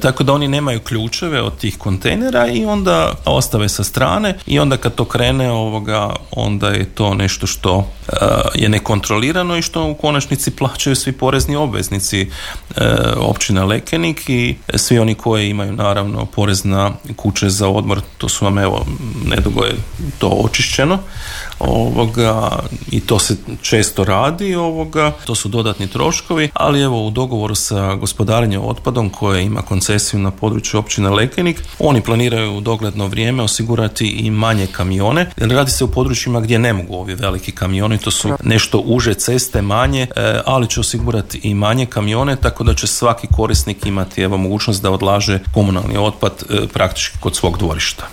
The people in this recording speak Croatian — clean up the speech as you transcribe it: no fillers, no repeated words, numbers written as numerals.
tako da oni nemaju ključeve od tih kontejnera i onda ostave sa strane i onda kad to krene onda je to nešto što je nekontrolirano i što u konačnici plaćaju svi porezni obveznici općine Lekenik i svi oni koji imaju naravno porez na kuće za odmor, to su vam nedugo je to očišćeno i to se često radi, to su dodatni troškovi, ali u dogovoru sa gospodarenjem otpadom koje ima koncesiju na području općine Lekenik, oni planiraju u dogledno vrijeme osigurati i manje kamione, jer radi se u područjima gdje ne mogu ovi veliki kamioni, to su nešto uže ceste, manje, ali će osigurati i manje kamione, tako da će svaki korisnik imati mogućnost da odlaže komunalni otpad praktički kod svog dvorišta.